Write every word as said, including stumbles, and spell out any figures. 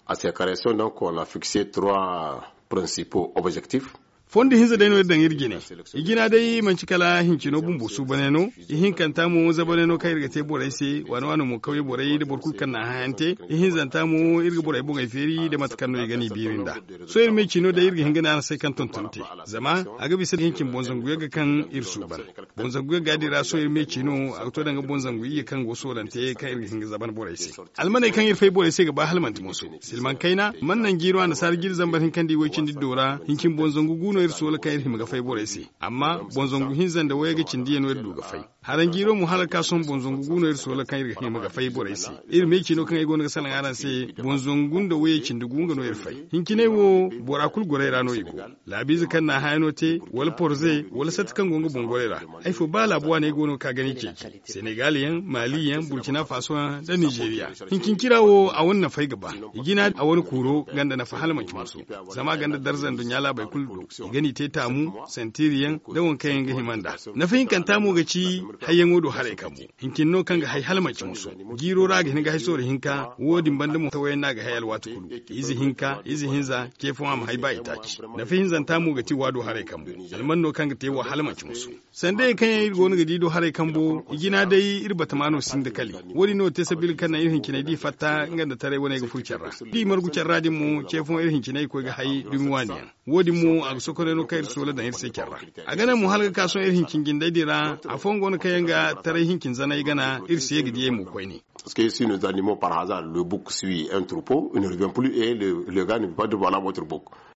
A se kareson donc on a fikse trois principaux objectifs. Fondo hinza day no iri daŋ iri jine. Ijina day manci kala hincino bumbo suubanay no. Ihinkanta mo zabanay no kaŋ iri ga te borey se waano waano mo kawye borey nda boro kulu kaŋ na a hayante. Ihinzanta mo iri ga borey boŋey feeri nda mate kaŋ no i ga n'i biiri nd'a. Sohõ iri me ciino day iri ga hin ga ne araŋ se kaŋ tonton te. Zama a ga bisa hincin boŋ zangu yagga kaŋ iri suuban. Boŋ zangu yagga din ra sohõ iri me ciino a ga to danga boŋ zangu iyye kaŋ go soolante kaŋ iri ga hin ga zaban borey se. Almaney kaŋ iri fay borey se ga ba hala manti mooso silmaŋ kayna mana naŋ jiiro annasaara jiri zambar hinka nda i way cindi do ra hincin boŋ zangu gu no iri soola kaŋ iri hima ga fay borey se. Amma boŋ zangu hinza nda wayey ga cindi yaŋ no iri du ga fay. Haranjiiro mo hala ga ka sohõ boŋ zangu gu no iri soola kaŋ iri ga hima ga fay borey se. Iri me ciino kaŋ ay go no ga salaŋ araŋ se boŋ zangu nda wayey cindi gu nga no iri fay. Hinciney wo bora kulu gorey ra no i go. Laabiize kaŋ na haya no te, wala porze wala satti kaŋ go nga boŋ gorey ra. Ay fo ba laabu waaney go no ga ka gana i ceeci senegal yaŋ, mali yaŋ, burkina faso yaŋ nda nizeeriya. Hinkincira wo a wane nafay ga ba. I jina a wane kuuro ganda nafa hala manci musu. Zama a ganda darza nduɲɲa laabey kulu do. I ga n'i te taamu, santiri yaŋ nda waŋ kaŋ yaŋ ga hima nd'a. Nafa hinkanta mo ga ci hayyaŋo do haray kambu. Hincin no kaŋ ga hay hala manci musu. Jiiro ra a ga hin ga hay sooro hinka wo- din banda mo tawayaŋ no a ga hay alwaati kulu. Ize hinka ize hinza ce fooyaŋ a ma hay ba itaaci. Nafa hinzanta mo ga ti waado haray kambu. Alman no kaŋ ga te wo hala manci musu. Sandayey kaŋ yaŋ iri go no ga di do haray kambo i jina day iri batama no sinda kali. Wo- din no te sabili kaŋ naŋ iri hinciney da i fatta nga nda taray wane ga furo care ra. Da i margu care ra din mo ce fooyaŋ iri hinciney ga koy ga hay dumi waani yaŋ. Wo- din mo a ga sokonay no kaŋ iri soola daŋ iri se care ra. A ga naŋ mo hala ga ka sohõ iri hincin jindey din ra. Afooyaŋ go no kaŋ yaŋ ga taray hincin zanay gana iri se ga diyey mo koyne. Parce que si nous animons par hasard le bouc suit un troupeau, il ne revient plus et le gars ne peut pas dire voilà votre bouc.